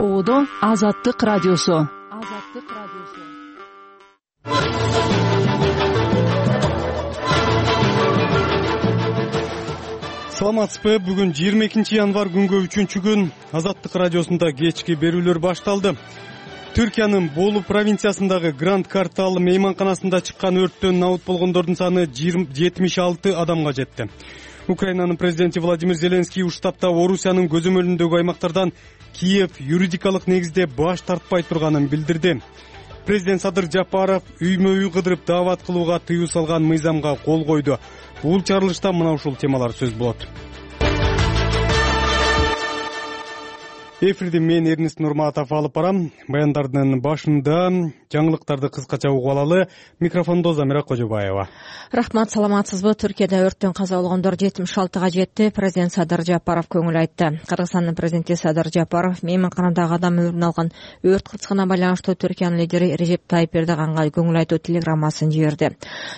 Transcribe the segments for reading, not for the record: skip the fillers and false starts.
Оодо Азаттык радиосу. Саламатсызбы? Бүгүн 22 январ күнгө 3-күн Азаттык радиосунда кечки берүүлөр башталды. Түркиянын Болу провинциясындагы Гранд Картал мейманканасында чыккан өрттөн набыт болгондордун саны 76 адамга жетти. Украинанын президенти Владимир Зеленский Уштабта Орусиянын көзөмөлүндөгү аймактардан Киев юридикалык негизде баш тартпай турганын билдирди. Президент Садыр Жапаров үймө-үй кыдырып даават кылууга тыюу салган мыйзамга кол койду. Бул чарылышта мына ушул темалар сөз болот. Эфирди мен Эрнест Нурматов алып барам. Баяндардын башында жаңылыктарды кыскача угуп алалы. Микрофондо Замира Кожобаева. Рахмат, саламатсызбы? Түркияда өрттөн каза болгондор 76-га жетти. Президент Садыр Жапаров көңүл айтты. Кыргызстандын президенти Садыр Жапаров мейманканадагы адам өлүмүн алган өрт кырсыгына байланыштуу Түркиянын лидери Режеп Тайип Эрдоганга көңүл айтуу телеграммасын жиберди.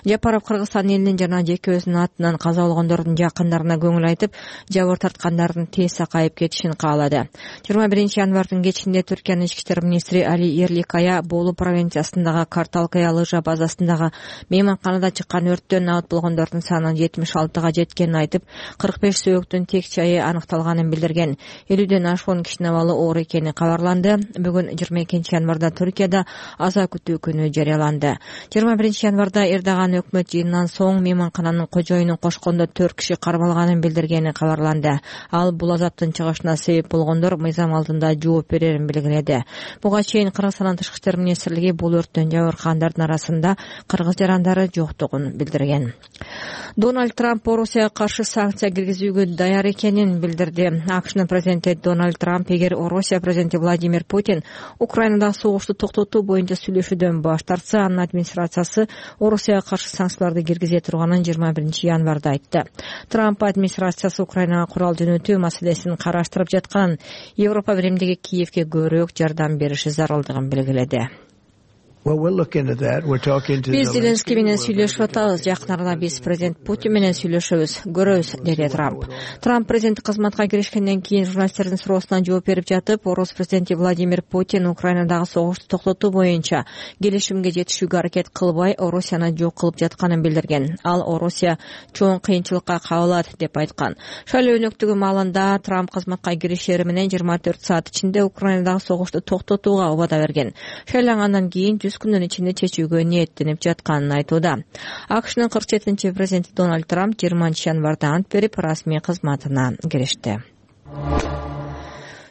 Жапаров Кыргызстан элинин жана жеке өзүнүн атынан каза болгондордун жакындарына көңүл айтып, жабыр тарткандардын тез сакайып кетишин каалады. 21 январдын кечинде Түркиянын ички иштер министри Али Эрликая Болу провинциясындагы Карталкая лыжа базасындагы мейманканада чыккан өрттөн набыт болгондордун саны 76-га жеткенин айтып, 45 сөөгүттүн тек жайы аныкталганын билдирген. 50ден ашуун кишинин абалы оор экени кабарланды. Бүгүн 22 январда Түркияда аза күтүү күнү жарыяланды. 21 январда Эрдоган өкмөт жыйынынан соң мейманкананын кожоюнун кошкондо 4 киши кармалганын билдиргени кабарланды. Ал бул азаптын чыгышына себеп болгондор мыйзам алдында жооп берерин белгиледи. Буга чейин Кыргызстандын тышкы иштер министрлиги бул өрттөн жабыркагандардын арасында кыргыз жарандары жоктугун билдирген. Дональд Трамп Орусияга каршы санкция киргизүүгө даяр экенин билдирди. АКШнын президенти Дональд Трамп эгер Орусия президенти Владимир Путин Украинадагы согушту токтотуу боюнча сүйлөшүүдөн баш тартса, анын администрациясы Орусияга каршы санкцияларды киргизе турганын 21 январда айтты. Трамп администрациясы Украинага курал жөнөтүү маселесин караштырып жатканын, Европа биримдиги Киевге көбүрөөк жардам бериши зарылдыгын белгиледи. Биз Зеленский менен сүйлөшүп атабыз. Жакын арада биз президент Путин менен сүйлөшөбүз, көрөбүз, деди Трамп. Трамп президенттик кызматка киришкенден кийин журналисттердин суроосуна жооп берип жатып, Орус президенти Владимир Путин Украинадагы согушту токтотуу боюнча келишимге жетишүүгө аракет кылбай, Орусияны жок кылып жатканын билдирген. Ал Орусия чоң кыйынчылыкка кабылат деп айткан. Шайлоо өнөктүгү маалында Трамп кызматка киришери менен 24 саат ичинде Украинадагы согушту токтотууга убада берген. Шайлангандан кийин күндүн ичинде чечүүгө ниеттенип жатканын айтууда. АКШнын 47-чи президенти Дональд Трамп 20 январда ант берип, расмий кызматына киришти.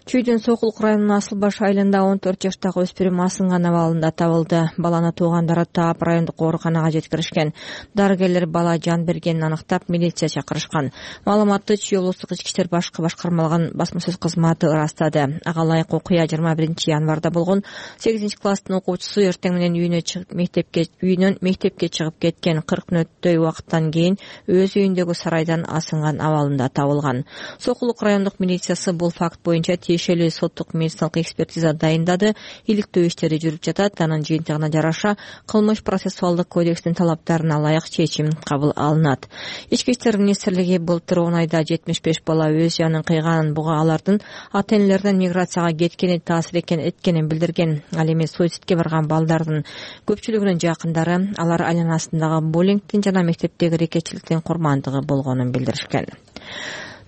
Чүйдүн Сокул районунун Асылбаш айылында 14 жаштагы өспүрүм асынган абалында табылды. Баланы туугандары таап райондук ооруканага жеткиришкен. Дарыгерлер бала жан бергенин аныктап, милиция чакырышкан. Маалыматты Чүй облустук ички иштер башкармалыгынын басма сөз кызматы ырастады. Ага ылайык окуя 21 январда болгон. 8-класстын окуучусу эртең менен үйүнөн мектепке чыгып кеткен. 40 мүнөттөй убакыттан кийин өз үйүндөгү сарайдан асынган абалында табылган. Сокул райондук милициясы бул факт боюнча тиешелүү соттук медициналык экспертиза дайындады. Иликтөө иштери жүрүп жатат. Анын жыйынтыгына жараша кылмыш процессуалдык кодекстин талаптарына ылайык чечим кабыл алынат. Ички иштер министрлиги былтыр 10 айда 75 бала өз жанын кыйганын, буга алардын ата-энелеринин миграцияга кеткени таасир эткенин билдирген. Ал эми суицидке барган балдардын көпчүлүгүнүн жакындары алар айланасындагы буллингдин жана мектептеги рекетчиликтин курмандыгы болгонун билдиришкен.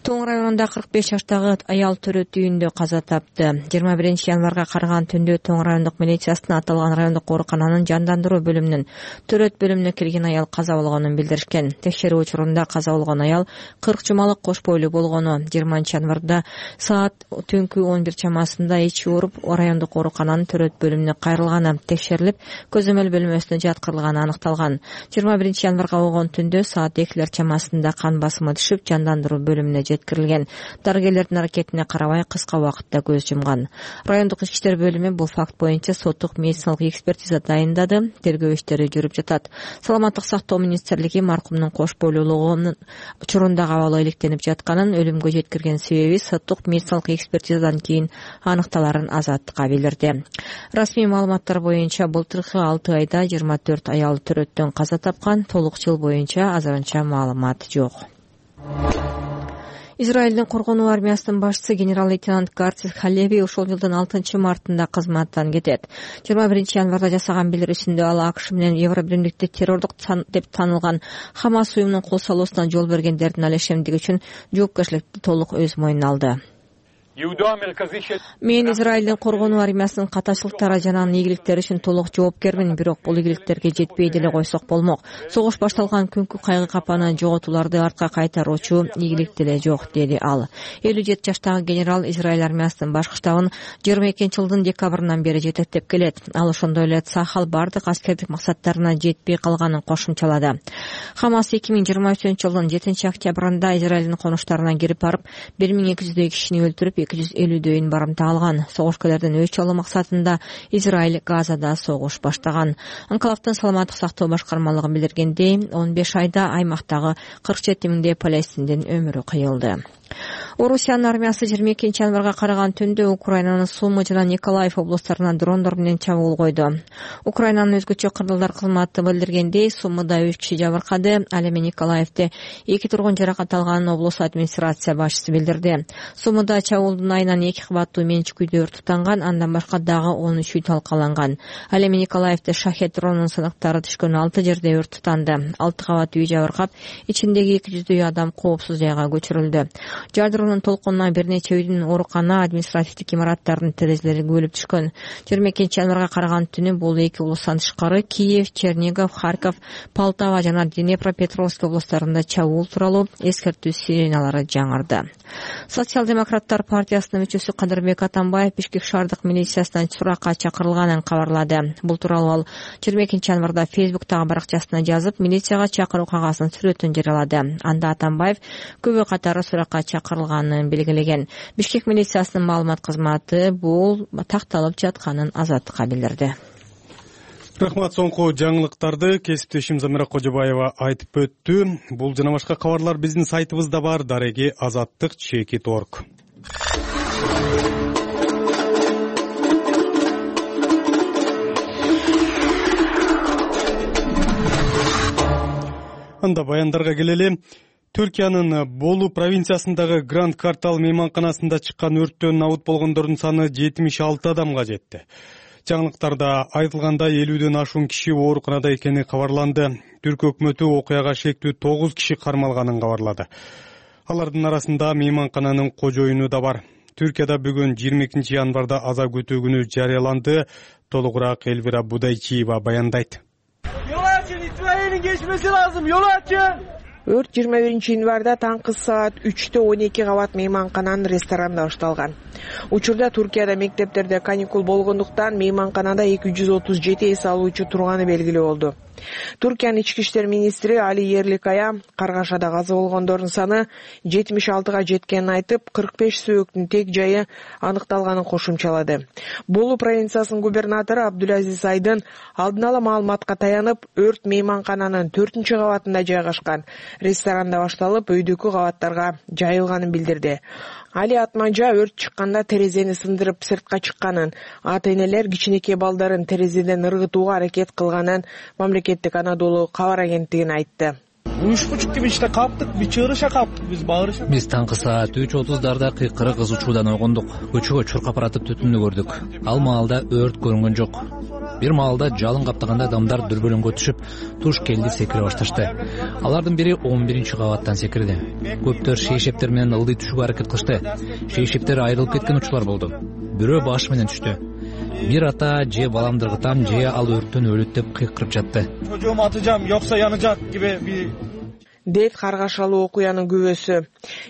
Тоң районунда 45 жаштагы аял төрөт үйүндө каза тапты. 21 январга караган түндө Тоң райондук милициясына аталган райондук оорукананын жандандыруу бөлүмүнүн төрөт бөлүмүнө кирген аял каза болгонун билдиришкен. Текшерүү учурунда каза болгон аял 40 жумалык кош бойлуу болгону, 20 январда саат түнкү 11 чамасында ичи ооруп, райондук оорукананын төрөт бөлүмүнө кайрылганы текшерилип, көзөмөл бөлмөсүнө жаткырылганы аныкталган. 21 январга болгон түндө саат 2 чамасында кан басымы түшүп, жандандыруу бөлүмүнө жеткирилген. Дарыгерлердин аракетине карабай кыска убакытта көз жумган. Райондук ички иштер бөлүмү бул факт боюнча соттук медициналык экспертиза дайындады. Тергөө иштери жүрүп жатат. Саламаттык сактоо министрлиги маркумдун кош бойлуулугунун учурундагы абалы иликтенип жатканын, өлүмгө жеткирген себеби соттук медициналык экспертизадан кийин аныкталарын Азаттыкка билдирди. Расмий маалыматтар боюнча былтыркы 6 айда 24 аял төрөттөн каза тапкан. Толук жыл боюнча азырынча маалымат жок. Израилдин коргонуу армиясынын башчысы генерал-лейтенант Гарцис Халеви ушул жылдын 6-мартында кызматтан кетет. 21-январда жасаган билдирүүсүндө ал АКШ менен Евробиримдикти террордук деп танылган Хамас уюмунун кол салуусуна жол бергендердин ал ишемдиги үчүн жоопкерчиликти толук өз мойнуна алды. Мен Израилдин коргонуу армиясынын катачылыктары жана анын ийгиликтери үчүн толук жоопкермин, бирок бул ийгиликтерге жетпей деле койсок болмок. Согуш башталган күнкү кайгы капаны жоготууларды артка кайтаруучу ийгилик деле жок, деди ал. 57 жаштагы генерал Израиль армиясынын башкы штабын 22-жылдын декабрынан бери жетектеп келет. Ал ошондой эле Цахал бардык аскердик максаттарына жетпей калганын кошумчалады. Хамас 2023-жылдын 7-октябрында Израилдин конуштарына кирип барып 1200 кишини өлтүрүп 250 барымта алган. Согушкерлердин өч алуу максатында Израиль Газада согуш баштаган. Анклавдын саламаттык сактоо башкармалыгы билдиргендей, 15 айда аймактагы 47 миңдей палестиндин өмүрү кыйылды. Орусиянын армиясы 22-январга караган түндө Украинанын Сумы жана Николаев облустарына дрондор менен чабуул койду. Украинанын өзгөчө кырдалдар кызматы билдиргендей, Сумыда 3 киши жабыркады, ал эми Николаевде 2 тургун жаракат алганын облус администрация башчысы билдирди. Сумыда чабуулдун айынан 2 кабаттуу менчик үйдө өрт тутанган, андан башка дагы 13 үй талкаланган. Ал эми Николаевде шахет дронунун сыныктары түшкөн 6 жерде өрт тутанды. 6 кабат үй жабыркап, ичиндеги 200 адам коопсуз жайга көчүрүлдү. Жардырунун толкунунан бир нече үйдүн оорукана, административдик имараттардын терезелери көбөлүп түшкөн. 22-январга караган түнү бул эки облустан тышкары Киев, Чернигов, Харьков, Полтава жана Днепропетровск облустарында чабуул тууралуу эскертүү сиреналары жаңырды. Социал-демократтар партиясынын мүчөсү Кадырбек Атамбаев Бишкек шаардык милициясынан суракка чакырылганын кабарлады. Бул тууралуу ал 22-январда Фейсбуктагы баракчасына жазып, милицияга чакыруу кагазынын сүрөтүн жарыялады. Анда Атамбаев көбү катары суракка чакырылганын белгилеген. Бишкек милициясынын маалымат кызматы бул такталып жатканын Азаттыкка билдирди. Рахмат, соңку жаңылыктарды кесиптешим Замира Кожобаева айтып өттү. Бул жана башка кабарлар биздин сайтыбызда бар, дареги azattik.org. Анда баяндарга келели. Түркиянын Болу провинциясындагы Гранд Картал мейманканасында чыккан өрттөн абут болгондордун саны 76 адамга жетти. Жаңылыктарда айтылгандай 50дөн ашуун киши ооруканада экени кабарланды. Түрк өкмөтү окуяга шектүү 9 киши кармалганын кабарлады. Алардын арасында мейманкананын кожоюну да бар. Түркияда бүгүн 22-январда аза күтүү күнү жарыяланды. Толугураак Элвира Будайчиева баяндайт. Yol açın, itfaiyenin geçmesi lazım. Yol açın. Өрт 21-январда таңкы саат 3-тө 12 кабат мейманкананын ресторанында башталган. Учурда Туркияда мектептерде каникул болгондуктан мейманканада 237 эс алуучу турганы белгилүү болду. Туркиянын ички иштер министри Али Ерликая Каргашада каза болгондордун саны 76га жеткенин айтып, 45 сөөктүн тек жайы аныкталганын кошумчалады. Болу провинциясынын губернатору Абдулазиз Айдын алдын ала маалыматка таянып, өрт мейманкананын 4-кабатында жайгашкан ресторанда башталып, өйдөгү кабаттарга жайылганын билдирди. Али Атмажа өрт чыкканда терезени сындырып сыртка чыкканын, ата-энелер кичинекей балдарын терезеден ыргытууга аракет кылганын мамлекеттик Анадолу кабар агенттигине айтты. 3:30 gibi işte kalktık, bir çığırışa kalktık biz, bağırışa. Биз таңкы саат 3:30 кыйкыры кызуучуудан ойгондук. Көчөгө чуркап баратып түтүндү көрдүк. Ал маалда өрт көрүнгөн жок. Бир маалда жалын каптаганда адамдар дүрбөлөңгө түшүп, туш келди секире башташты. Алардын бири 11-кабаттан секирди. Көптөр шейшептер менен ылдый түшүүгө аракет кылышты. Шейшептер айрылып кеткен учурлар болду. Бирөө баш менен түштү. Bir ata же balamdır gıtam же al örttөн ölüt dep kıykırıp jattı. Çocuğumu atacağım yoksa yanacak gibi bir... дейт Каргашалуу окуянын күбөсү.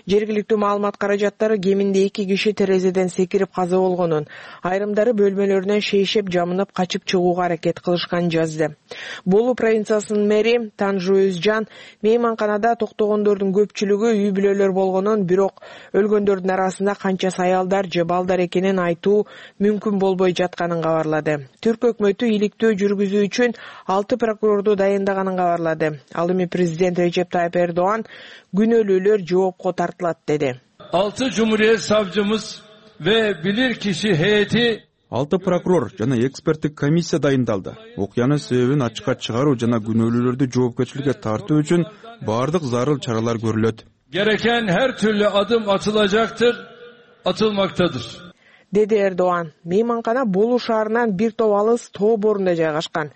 Жергиликтүү маалымат каражаттары кеминде 2 киши терезеден секирип каза болгонун, айрымдары бөлмөлөрүнөн шейшеп жамынып качып чыгууга аракет кылышканын жазды. Болу провинциясынын мэри Танжу Өзжан мейманканада токтогондордун көпчүлүгү үй бүлөлөр болгонун, бирок өлгөндөрдүн арасында канчасы аялдар же балдар экенин айтуу мүмкүн болбой жатканын кабарлады. Түрк өкмөтү иликтөө жүргүзүү үчүн 6 прокурорду дайындаганын кабарлады. Ал эми президент Режеп Erdoğan günölülür cevapko tartılat dedi. 6 Cumhuriyet Savcımız ve bilirkişi heyeti 6 prokuror жана эксперттик комиссия дайындалды. Окуянын себебин ачыкка чыгаруу жана күнөөлүүлөрдү жоопкерчиликке тартуу үчүн бардык зарыл чаралар көрүлөт. gereken her türlü adım atılacaktır, atılmaktadır. Деди Эрдоган. Мейманкана Болу шаарынан бир топ алыс тоо борунда жайгашкан.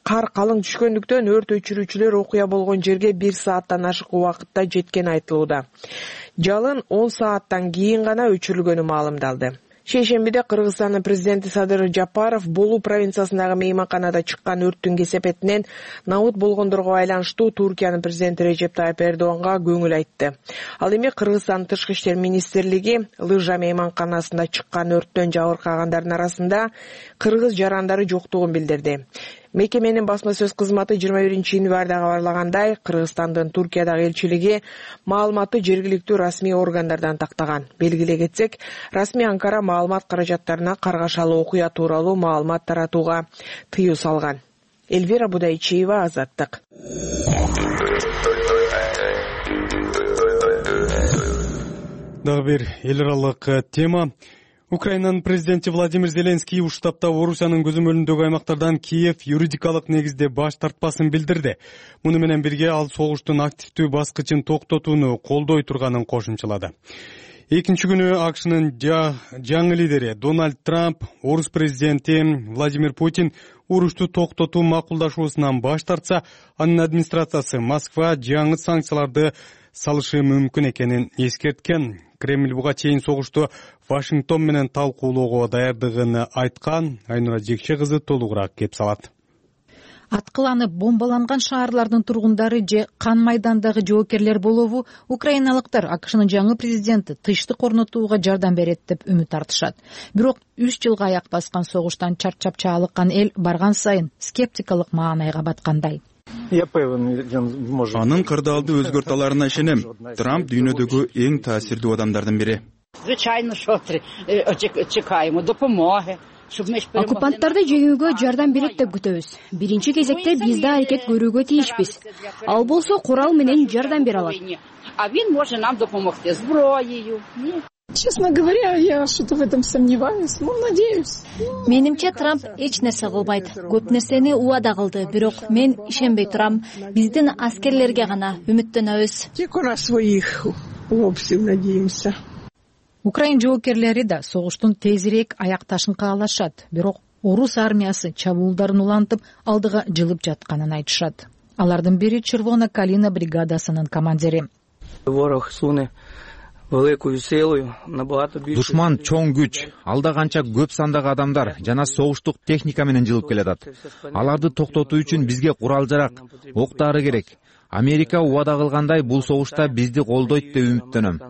Кар калың түшкөндүктөн өрт өчүрүүчүлөр окуя болгон жерге 1 сааттан ашык убакытта жеткени айтылууда. Жалын 10 сааттан кийин гана өчүрүлгөнү маалымдалды. Шейшембиде Кыргызстандын президенти Садыр Жапаров Болу провинциясындагы мейманканада чыккан өрттүн кесепетинен набыт болгондорго байланыштуу Туркиянын президенти Режеп Тайып Эрдоганга көңүл айтты. Ал эми Кыргызстандын Тышкы иштер министрлиги Лыжа мейманканасында чыккан өрттөн жабыркагандардын арасында кыргыз жарандары жоктугун билдирди. Мекеменин басма сөз кызматы 21-январда кабарлагандай, Кыргызстандын Туркиядагы элчилиги маалыматты жергиликтүү расмий органдардан тактаган. Белгилей кетсек, расмий Анкара маалымат каражаттарына каргашалы окуя тууралуу маалымат таратууга тыюу салган. Эльвира Будайчиева, Азаттык. Дагы бир эл аралык тема. Украинанын президенти Владимир Зеленский уштапта Орусиянын көзөмөлүндөгү аймактардан Киев юридикалык негизде баш тартпасын билдирди. Муну менен бирге ал согуштун активдүү баскычын токтотууну колдой турганын кошумчалады. Экинчи күнү АКШнын жаңы лидери Дональд Трамп, Орус президенти Владимир Путин урушту токтотуу макулдашуусунан баш тартса, анын администрациясы Москва жаңы санкцияларды салышы мүмкүн экенин эскерткен. Кремль буга чейин согушту Вашингтон менен талкуулоого даярдыгын айткан. Айнура Жекче кызы толугураак кеп салат. Аткыланып бомбаланган шаарлардын тургундары же кан майдандагы жоокерлер болобу украиналыктар АКШнын жаңы президенти тынчтык орнотууга жардам берет деп үмүт артышат. Бирок 3 жылга аяк баскан согуштан чарчап чаалыккан эл барган сайын скептикалык маанайга баткандай. Анын кырдаалды өзгөртө ишенем. Трамп дүйнөдөгү эң таасирдүү адамдардын бири. Оккупанттарды жеңүүгө жардам берет деп күтөбүз. Биринчи кезекте биз да аракет көрүүгө тийишпиз. Ал болсо курал менен жардам бере алат. Честно говоря, я что-то в этом сомневаюсь, но надеюсь. Менимче Трамп эч нерсе кылбайт. Көп нерсени убада кылды, бирок мен ишенбей турам. Биздин аскерлерге гана үмүттөнөбүз. Только на своих вовсе надеемся. Украин жоокерлери да согуштун тезирээк аякташын каалашат, бирок орус армиясы чабуулдарын улантып алдыга жылып жатканын айтышат. Алардын бири Червона Калина бригадасынын командири. Душман чоң күч, алда канча көп сандагы адамдар жана согуштук техника менен жылып келатат. Аларды токтотуу үчүн бизге курал-жарак, октары керек. Америка убада кылгандай бул согушта бизди колдойт деп үмүттөнөм.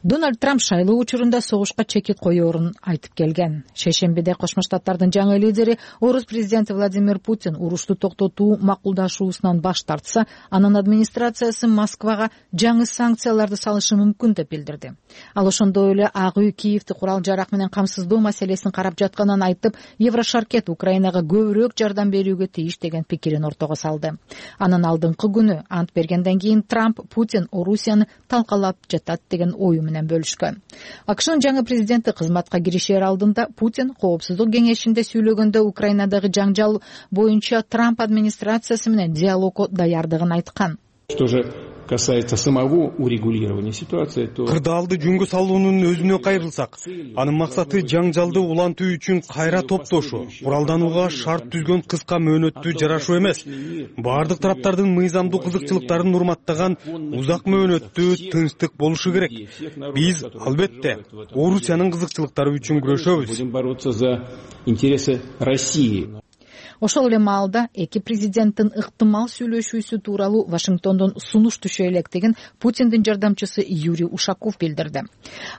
Дональд Трамп шайлоо учурунда согушка чекит коёрун айтып келген. Шейшембиде Кошмо Штаттардын жаңы лидери Орус президенти Владимир Путин урушту токтотуу макулдашуусунан баш тартса, анын администрациясы Москвага жаңы санкцияларды салышы мүмкүн деп билдирди. Ал ошондой эле Ак үй Киевди курал-жарак менен камсыздоо маселесин карап жатканын айтып, Еврошаркет Украинага көбүрөөк жардам берүүгө тийиш деген пикирин ортого салды. Анын алдыңкы күнү ант бергенден кийин Трамп Путин Орусияны талкалап жатат деген ою менен бөлүшкөн. АКШнын жаңы президенти кызматка киришер алдында Путин Коопсуздук кеңешинде сүйлөгөндө Украинадагы жаңжал боюнча Трамп администрациясы менен диалогго даярдыгын айткан. Касается самого урегулирования ситуации, то кырдаалды жөнгө салуунун өзүнө кайрылсак, анын максаты жаңжалды улантуу үчүн кайра топтошу, куралданууга шарт түзгөн кыска мөөнөттүү жарашуу эмес. Бардык тараптардын мыйзамдуу кызыкчылыктарын урматтаган узак мөөнөттүү тынчтык болушу керек. Биз албетте Орусиянын кызыкчылыктары үчүн күрөшөбүз. Будем бороться за интересы России. Ошол эле маалда эки президенттин ыктымал сүйлөшүүсү тууралуу Вашингтондон сунуш түшө электигин Путиндин жардамчысы Юрий Ушаков билдирди.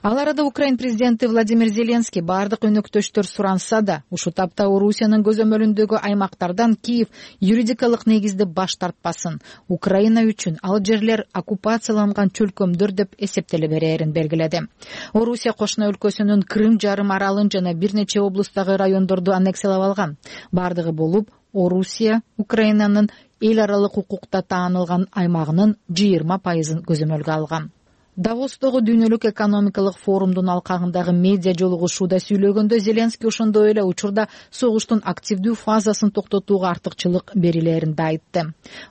Ал арада Украин президенти Владимир Зеленский бардык өнөктөштөр суранса да, ушул тапта Орусиянын көзөмөлүндөгү аймактардан Киев юридикалык негизде баш тартпасын, Украина үчүн ал жерлер оккупацияланган чөлкөмдөр деп эсептеле берерин белгиледи. Орусия кошуна өлкөсүнүн Крым жарым аралын жана бир нече облустагы райондорду аннексиялап алган. Бардыгы Орусия Украинанын эл аралык укукта таанылган аймагынын 20% көзөмөлгө алган. Давостогу дүйнөлүк экономикалык форумдун алкагындагы медиа жолугушууда сүйлөгөндө Зеленский ошондой эле учурда согуштун активдүү фазасын токтотууга артыкчылык берилерин да айтты.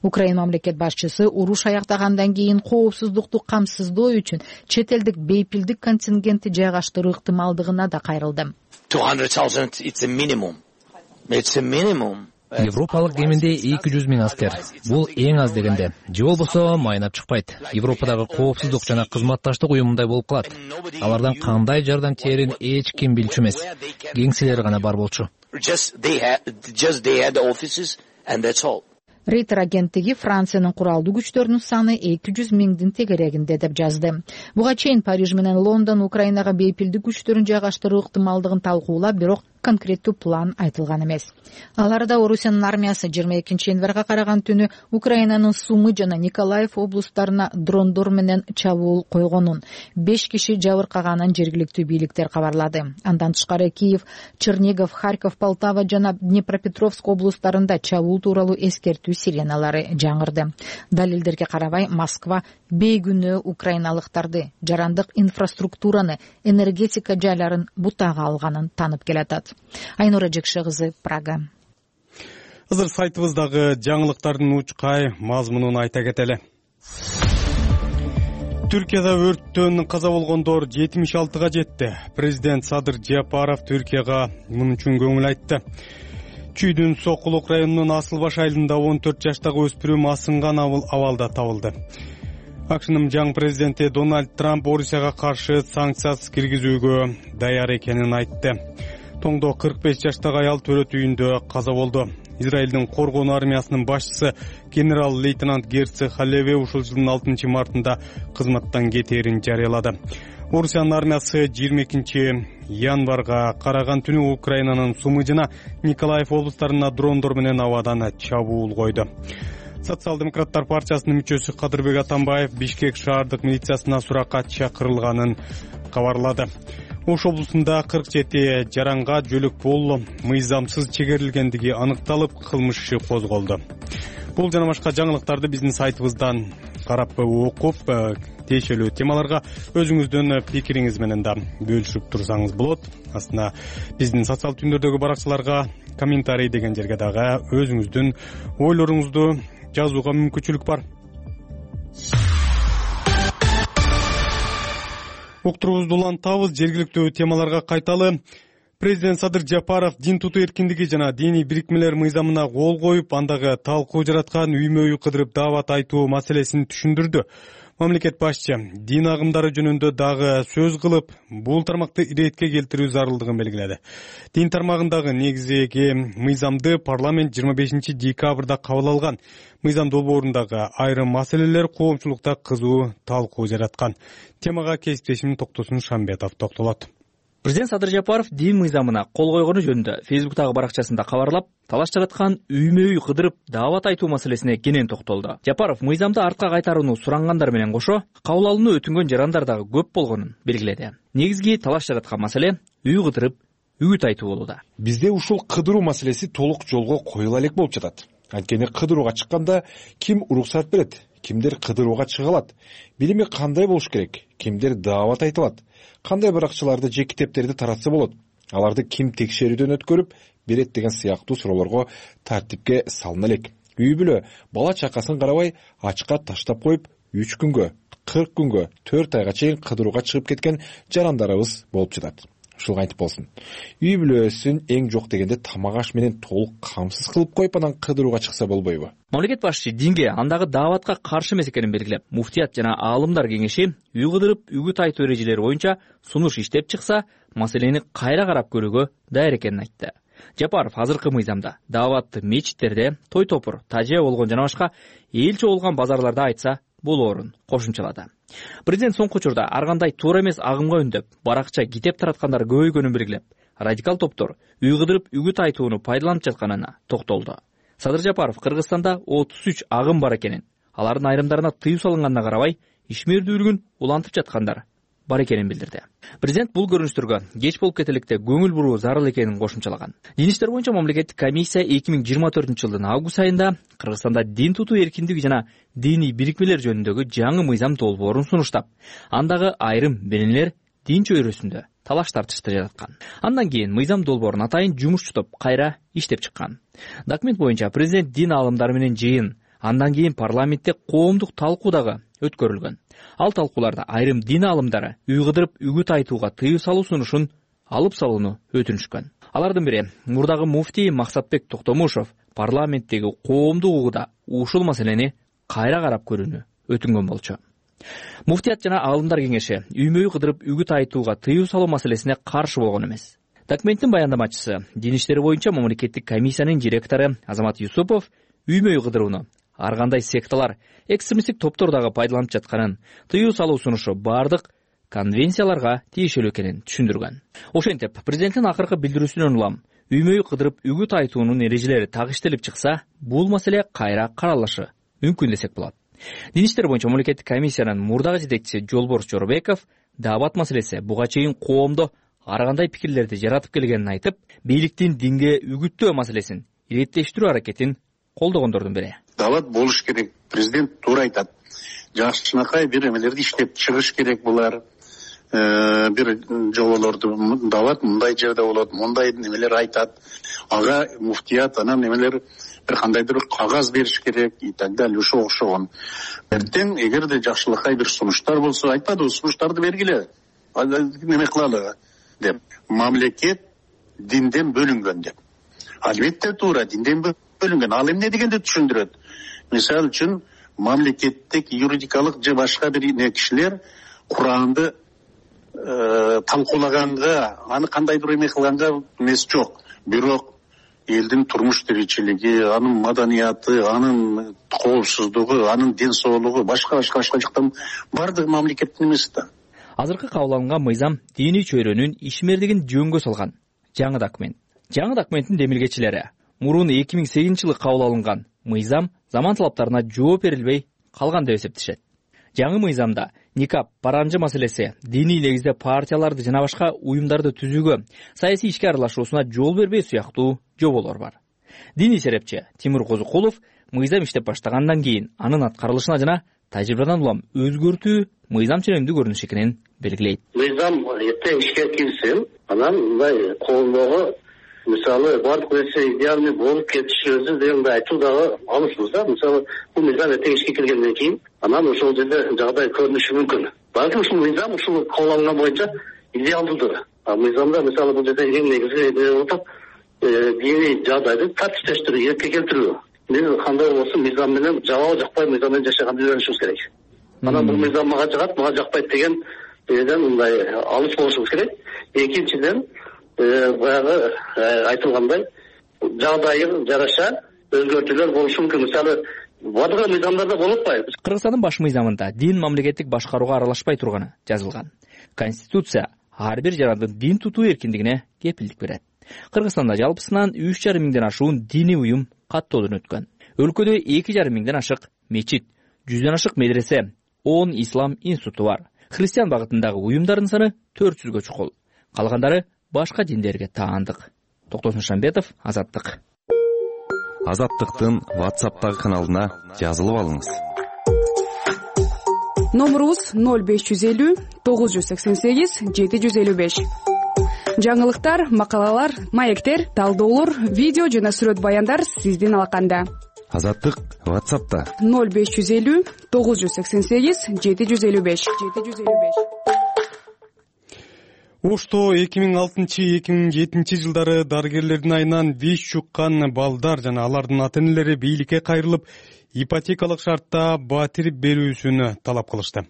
Украина мамлекет башчысы уруш аяктагандан кийин коопсуздукту камсыздоо үчүн чет элдик бейпилдик контингентти жайгаштыруу ыктымалдыгына да кайрылды. 200,000 it's a minimum. It's a minimum. Европалык кеминде 200 000 аскер. Бул эң аз дегенде. Же болбосо майнап чыкпайт. Европадагы коопсуздук жана кызматташтык уюмундай болуп калат. Алардан кандай жардам тиерин эч ким билчү эмес. Кеңселер гана бар болчу. Рейтер агенттиги Франциянын куралдуу күчтөрүнүн саны 200 000 тегерегинде деп жазды. Буга чейин Париж менен Лондон Украинага бейпилдик күчтөрүн жайгаштыруу ыктымалдыгын талкуулап, бирок конкреттүү план айтылган эмес. Аларда Орусиянын армиясы 22 январга караган түнү Украинанын Сумы жана Николаев облустарына дрондор менен чабуул койгонун, 5 киши жабыркаганын жергиликтүү бийликтер кабарлады. Андан тышкары Киев, Чернигов, Харьков, Полтава жана Днепропетровск облустарында чабуул тууралуу эскертүү сиреналары жаңырды. Далилдерге карабай, Москва бейгүнөө украиналыктарды, жарандык инфраструктураны, энергетика жайларын бутага алганын танып келатат. Айнура Жекше кызы, Прага. Азыр сайтыбыздагы жаңылыктардын учкай мазмунун айта кетели. Түркияда өрттөн каза болгондор 76-га жетти. Президент Садыр Жапаров Түркияга муну үчүн көңүл айтты. Чүйдүн Сокулук районунун Асылбаш айылында 14 жаштагы өспүрүм асынган абалда табылды. АКШнын жаңы президенти Дональд Трамп Орусияга каршы санкциясыз киргизүүгө даяр экенин айтты. Тоңдо 45 жаштагы аял төрөт үйүндө каза болду. Израилдин коргонуу армиясынын башчысы генерал-лейтенант Герци Халеве ушул жылдын 6 мартында кызматтан кетээрин жарыялады. Орусиянын армиясы 22 январга караган түнү Украинанын Сумы жана Николаев облустарына дрондор менен абадан чабуул койду. Социал-демократтар партиясынын мүчөсү Кадырбек Атамбаев Бишкек шаардык милициясына суракка чакырылганын кабарлады. Ош облусунда 47 жаранга жөлөк болуу мыйзамсыз чегерилгендиги аныкталып, кылмыш иши козголду. Бул жана башка жаңылыктарды биздин сайтыбыздан карап окуп, тиешелүү темаларга өзүңүздүн пикириңиз менен да бөлүшүп турсаңыз болот. Астына биздин социал түндөрдөгү баракчаларга комментарий деген жерге дагы өзүңүздүн ойлоруңузду жазууга мүмкүнчүлүк бар. Уктурубузду улантабыз, жергиликтүү темаларга кайталы. Президент Садыр Жапаров дин тутуу эркиндиги жана диний бирикмелер мыйзамына кол коюп, андагы талкуу жараткан үймө-үй кыдырып даават айтуу маселесин түшүндүрдү. Мамлекет башчы дин агымдары жөнүндө дагы сөз кылып, бул тармакты иретке келтирүү зарылдыгын белгиледи. Дин тармагындагы негизги мыйзамды парламент 25 декабрда кабыл алган. Мыйзам долбоорундагы айрым маселелер коомчулукта кызуу талкуу жараткан. Темага кесиптешим Токтосун Шамбетов токтолот. Президент Садыр Жапаров дин мыйзамына кол койгону жөнүндө Фейсбуктагы баракчасында кабарлап, талаш жараткан үймө-үй кыдырып даават айтуу маселесине кенен токтолду. Жапаров мыйзамды артка кайтарууну сурангандар менен кошо, кабыл алууну өтүнгөн жарандар дагы көп болгонун белгиледи. Негизги талаш жараткан маселе үй кыдырып, үгүт айтуу болууда. Бизде ушул кыдыруу маселеси толук жолго коюла элек болуп жатат. Анткени кыдырууга чыкканда ким уруксат берет, кимдер кыдырууга чыга алат, билими кандай болуш керек, кимдер даават айта алат, кандай баракчаларды же китептерди таратса болот, аларды ким текшерүүдөн өткөрүп берет деген сыяктуу суроолорго тартипке салына элек. Үй бүлө бала чакасын карабай ачка таштап коюп 3 күнгө, 40 күнгө, 4 айга чейин кыдырууга чыгып кеткен жарандарыбыз болуп жатат. Ушул кантип болсун. Үй бүлөсүн эң жок дегенде тамак аш менен толук камсыз кылып коюп анан кыдырууга чыкса болбойбу? Мамлекет башчы динге, андагы дааватка каршы эмес экенин белгилеп, муфтият жана аалымдар кеңеши үй кыдырып, үгүт айтуу эрежелери боюнча сунуш иштеп чыкса, маселени кайра карап көрүүгө даяр экенин айтты. Жапаров азыркы мыйзамда дааватты мечиттерде, той топур, тажия болгон жана башка эл чогулган базарларда айтса болоорун кошумчалады. Президент соңку учурда ар кандай туура эмес агымга үндөп, баракча китеп тараткандар көбөйгөнүн белгилеп, радикал топтор үй кыдырып үгүт айтууну пайдаланып жатканына токтолду. Садыр Жапаров Кыргызстанда 33 агым бар экенин, алардын айрымдарына тыюу салынганына карабай, ишмердүүлүгүн улантып жаткандар бар экенин билдирди. Президент бул көрүнүштөргө кеч болуп кетеликте көңүл буруу зарыл экенин кошумчалаган. Дин иштер боюнча мамлекеттик комиссия 2024 жылдын август айында Кыргызстанда дин тутуу эркиндиги жана диний бирикмелер жөнүндөгү жаңы мыйзам долбоорун сунуштап, андагы айрым беренелер дин чөйрөсүндө талаш тартышты жараткан. Андан кийин мыйзам долбоорун атайын жумушчутуп кайра иштеп чыккан. Документ боюнча президент дин аалымдары менен жыйын, андан кийин парламентте коомдук талкуу дагы өткөрүлгөн. Ал талкууларда айрым дин аалымдары үй кыдырып үгүт айтууга тыюу салуу сунушун алып салууну өтүнүшкөн. Алардын бири мурдагы муфтий Максатбек Токтомушов парламенттеги коомдук угуда ушул маселени кайра карап көрүүнү өтүнгөн болчу. Муфтият жана аалымдар кеңеши үймө үй кыдырып үгүт айтууга тыюу салуу маселесине каршы болгон эмес. Документтин баяндамачысы, дин иштери боюнча мамлекеттик комиссиянын директору Азамат Юсупов үймө үй кыдырууну ар кандай секталар, экстремисттик топтор дагы пайдаланып жатканын, тыюу салуу сунушу бардык конвенцияларга тиешелүү экенин түшүндүргөн. Ошентип, президенттин акыркы билдирүүсүнөн улам үймө үй кыдырып үгүт айтуунун эрежелери тагыштелип чыкса, бул маселе кайра каралышы мүмкүн десек болот. Дин иштер боюнча мамлекеттик комиссиянын мурдагы жетекчиси Жолборс Жоробеков даават маселеси буга чейин коомдо ар кандай пикирлерди жаратып келгенин айтып, бийликтин динге үгүттөө маселесин иреттештирүү аракетин колдогондордун бири. Даават болуш керек. Президент туура айтат. Жакшынакай бир эмелерди иштеп чыгыш керек булар. Бир жоболорду даават мындай жерде болот, мындай немелер айтат. Ага муфтият анан немелер бир кандайдыр кагаз бериш керек и так далее, ошого окшогон. Эртең эгерде жакшылыкка бир сунуштар болсо, айтпады, сунуштарды бергиле. Неме кылалы деп. Мамлекет динден бөлүнгөн деп. Албетте туура, динден бөлүнгөн. Ал эмне дегенди түшүндүрөт. Мисалы үчүн мамлекеттик юридикалык же башка бир кишилер Куранды талкуулаганга, аны кандайдыр эме кылганга эмес жок. Бирок элдин турмуш тиричилиги, анын маданияты, анын коопсуздугу, анын ден соолугу, башка жактан бардыгы мамлекеттин эмеси да. Азыркы кабыл алынган мыйзам диний чөйрөнүн ишмердигин жөнгө салган жаңы документ. Жаңы документтин демилгечилери мурун 2008 жылы кабыл алынган мыйзам заман талаптарына жооп берилбей калган деп эсептешет. Жаңы мыйзамда никап, паранжы маселеси, диний негизде партияларды жана башка уюмдарды түзүүгө, саясий ишке аралашуусуна жол бербөө сыяктуу жоболор бар. Диний серепчи Тимур Козукулов мыйзам иштеп баштагандан кийин анын аткарылышына жана тажрыйбадан улам өзгөртүү мыйзам ченемдүү көрүнүш экенин белгилейт. Мыйзам эртең ишке кирсин, анан мындай коомдогу мисалы бардык нерсе идеальный болуп кетиши өзү дегенди айтуу дагы алышпыз да. Мисалы бул мыйзам эртең ишке киргенден кийин анан ошол жерде жагдай көрүнүшү мүмкүн. Балким ушул мыйзам ушул кабыл алынган боюнча идеалдуудур. Мыйзамда мисалы бул жерде эң негизи болуп диний жагдайды тартиптештирүү, эркке келтирүү. Биз кандай болсун мыйзам менен жагабы жакпай мыйзам менен жашаганды үйрөнүшүбүз керек. Анан бул мыйзам мага жагат, мага жакпайт деген жерден мындай алыс болушубуз керек. Экинчиден баягы айтылгандай жагдайы жараша өзгөртүүлөр болушу мүмкүн. Мисалы бардык мыйзамдарда болуп атпайбы? Кыргызстандын баш мыйзамында дин мамлекеттик башкарууга аралашпай турганы жазылган. Конституция ар бир жарандын дин тутуу эркиндигине кепилдик берет. Кыргызстанда жалпысынан 3,5 миңден ашуун диний уюм каттоодон өткөн. Өлкөдө 2,5 миңден ашык мечит, 100дөн ашык медресе, 10 ислам институту бар. Христиан багытындагы уюмдардын саны 400гө чукул. Калгандары башка диндерге таандык. Токтосун Шамбетов, Азаттык. Азаттыктын WhatsApp'тагы каналына жазылып алыңыз. Номерубуз 0550 988 755. Жаңылыктар, макалалар, маектер, талдоолор, видео жана сүрөт баяндар сиздин алаканда. Азаттык WhatsApp'та 0550 988 755. Ошто 2006-2007 жылдары дарыгерлердин айынан вич чуккан балдар жана алардын ата-энелери бийликке кайрылып, ипотекалык шартта батир берүүсүн талап кылышты.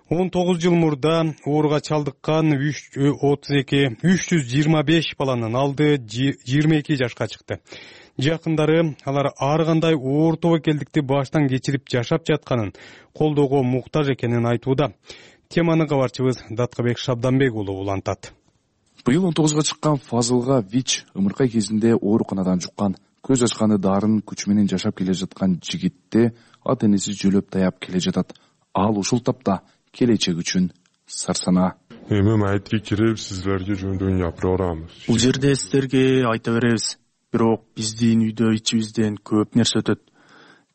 19 жыл мурда ооруга чалдыккан 325 баланын алды 22 жашка чыкты. Жакындары алар ар кандай оор тобокелдикти баштан кечирип жашап жатканын, колдоого муктаж экенин айтууда. Теманы кабарчыбыз Даткабек Шабданбек уулу улантат. Быйыл 19га чыккан Фазылга ВИЧ ымыркай кезинде ооруканадан жуккан, көз ачканы дарын күч менен жашап келе жаткан жигитте ата-энеси жөлөп таяп келе жатат. Ал ушул тапта келечек үчүн Сарсана. Эми майтке кирип сиздерге жөндөн япыра барабыз. Бул жерде сиздерге айта беребиз. Бирок биздин үйдө ичибизден көп нерсе өтөт.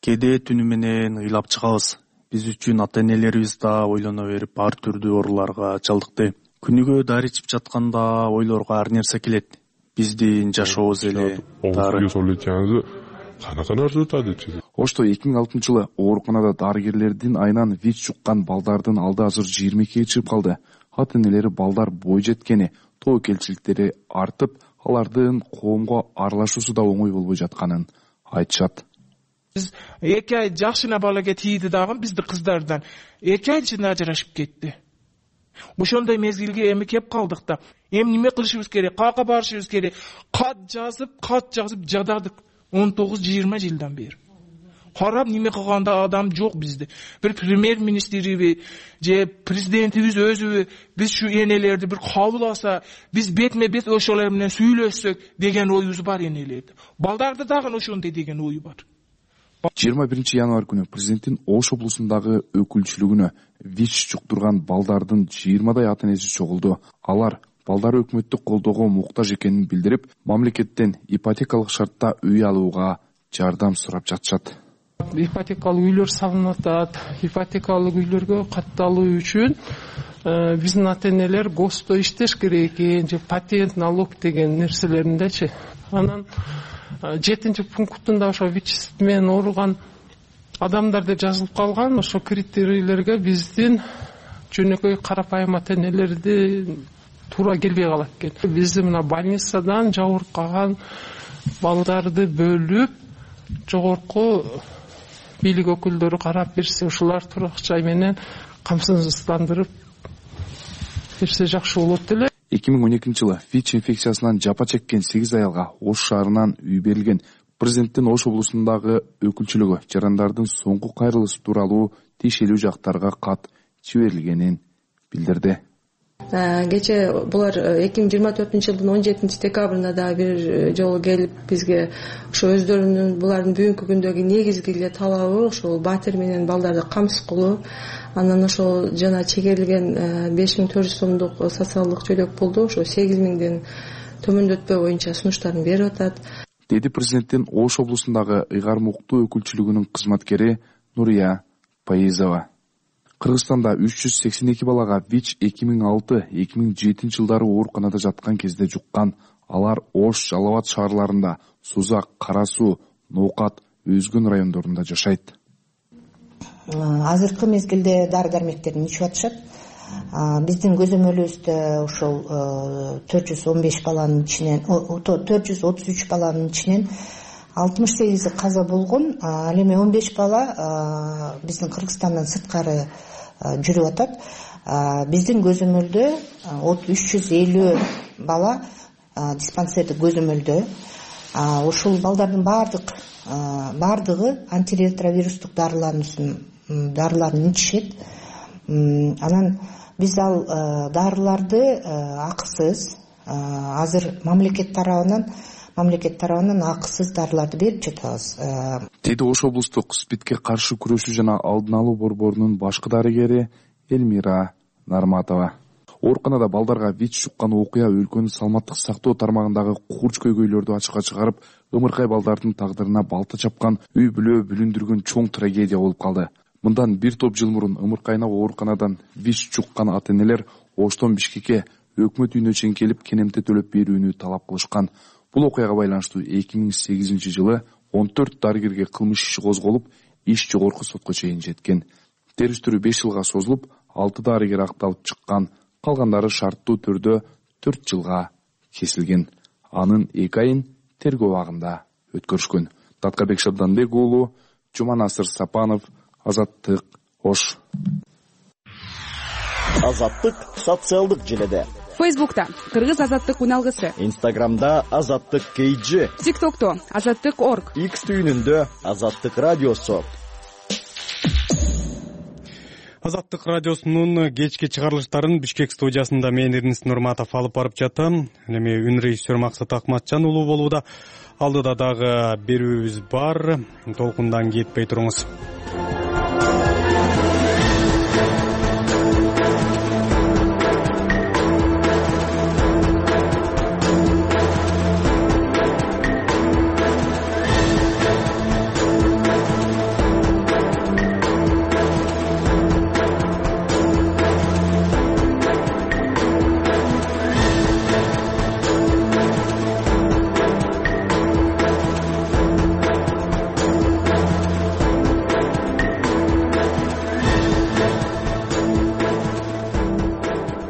Кээде түнү менен ыйлап чыгабыз. Биз үчүн ата-энелерибиз да ойлоно берип ар түрдүү ооруларга чалдыкты. Күнүгө дары ичип жатканда ойлорго ар нерсе келет. Биздин жашообуз эле дары. Канака нерсе өтөт. Ошто 2006-жылы ооруканада дарыгерлердин айынан ВИЧ жуккан балдардын алды азыр 22-ге чыгып калды. Ата-энелери балдар бой жеткени, тобокелчиликтери артып, алардын коомго аралашуусу да оңой болбой жатканын айтышат. Биз 2 ай жакшына балага тийди дагы бизди кыздардан 2 ай ичинде ажырашып кетти. Ошондой мезгилге эми кеп калдык да. Эми неме кылышыбыз керек? Кака барышыбыз керек? Кат жазып жададык 19-20 жылдан бери. Карап неме кылганда адам жок бизде. Бир премьер-министриби же президентибиз өзүбү биз şu энелерди бир кабыл алса, биз бетме бет ошолор менен сүйлөшсөк деген оюбуз бар энелерди. Балдарды дагы ошондой деген ою бар. 21 январь күнү президенттин Ош облусундагы өкүлчүлүгүнө ВИЧ жуктурган балдардын 20дай ата-энеси чогулду. Алар балдары өкмөттүк колдоого муктаж экенин билдирип, мамлекеттен ипотекалык шартта үй алууга жардам сурап жатышат. Ипотекалык үйлөр салынып атат. Ипотекалык үйлөргө катталуу үчүн биздин ата-энелер ГОСТо иштеш керек экен, же патент налог деген нерселериндечи. Анан 7 пунктунда ошо ВИЧ менен ооруган адамдар деп жазылып калган. Ошо критерийлерге биздин жөнөкөй карапайым ата-энелерди туура келбей калат экен. Бизди мына больницадан жабыркаган балдарды бөлүп, жогорку бийлик өкүлдөрү карап берсе, ушулар турак жай менен камсыздандырып берсе жакшы болот эле. 2012-жылы ВИЧ инфекциясынан жапа чеккен 8 аялга Ош шаарынан үй берилген. Президенттин Ош облусундагы өкүлчүлүгү жарандардын соңку кайрылышы тууралуу тиешелүү жактарга кат жиберилгенин билдирди. Кече булар 2024-жылдын 17-декабрында да бир жолу келип бизге ошо өздөрүнүн булардын бүгүнкү күндөгү негизги эле талабы ошол батир менен балдарды камсыз кылуу. Анан ошол жана чегерилген 5400 сомдук социалдык чөлөк болду. Ошо 8000ден төмөндөтпөө боюнча сунуштарын берип атат. Деди президенттин Ош облусундагы ыйгарым укуктуу өкүлчүлүгүнүн кызматкери Нурия Паизова. Кыргызстанда 382 балага ВИЧ 2006-2007 жылдары ооруканада жаткан кезде жуккан. Алар Ош, Жалал Абад шаарларында, Сузак, Кара Суу, Ноокат, Өзгөн райондорунда жашайт. Азыркы мезгилде дары дармектерин ичип атышат. Биздин көзөмөлүбүздө ошол 415 баланын ичинен 433 баланын ичинен 68 каза болгон. Ал эми 15 бала биздин Кыргызстандан сырткары жүрүп атат. Биздин көзөмөлдө 350 бала диспансердик көзөмөлдө. Ушул балдардын бардыгы антиретровирустук дарыларын ичишет. Анан биз ал дарыларды акысыз азыр мамлекет тарабынан акысыз дарыларды берип жатабыз. Деди Ош облустук СПИДке каршы күрөшүү жана алдын алуу борборунун башкы дарыгери Элмира Нарматова. Ооруканада балдарга ВИЧ жуккан окуя өлкөнүн саламаттык сактоо тармагындагы курч көйгөйлөрдү ачыкка чыгарып, ымыркай балдардын тагдырына балта чапкан, үй бүлө бүлүндүргөн чоң трагедия болуп калды. Мындан бир топ жыл мурун ымыркайына ооруканадан ВИЧ жуккан ата-энелер Оштон Бишкекке өкмөт үйүнө чейин келип кенемте төлөп берүүнү талап кылышкан. Бул окуяга байланыштуу 2008 жылы 14 дарыгерге кылмыш иши козголуп, иш жогорку сотко чейин жеткен. Териштирүү 5 жылга созулуп, 6 дарыгер акталып чыккан. Калгандары шарттуу түрдө 4 жылга кесилген. Анын 2 айын тергөө абагында өткөрүшкөн. Таткарбек Шабданбек уулу, Жуманасыр Сапанов, Азаттык, Ош. Азаттык социалдык желеде. Фейсбукта Кыргыз азаттык уналгысы. Инстаграмда Азаттык KG. ТикТокто Азаттык.орг. X түйүнүндө Азаттык радиосу. Азаттык радиосунун кечки чыгарылыштарын Бишкек студиясында мен Эрнис Нурматов алып барып жатам. Эми үн режиссер Максат Акматжан уулу болууда. Алдыда дагы берүүбүз бар. Толкундан кетпей туруңуз.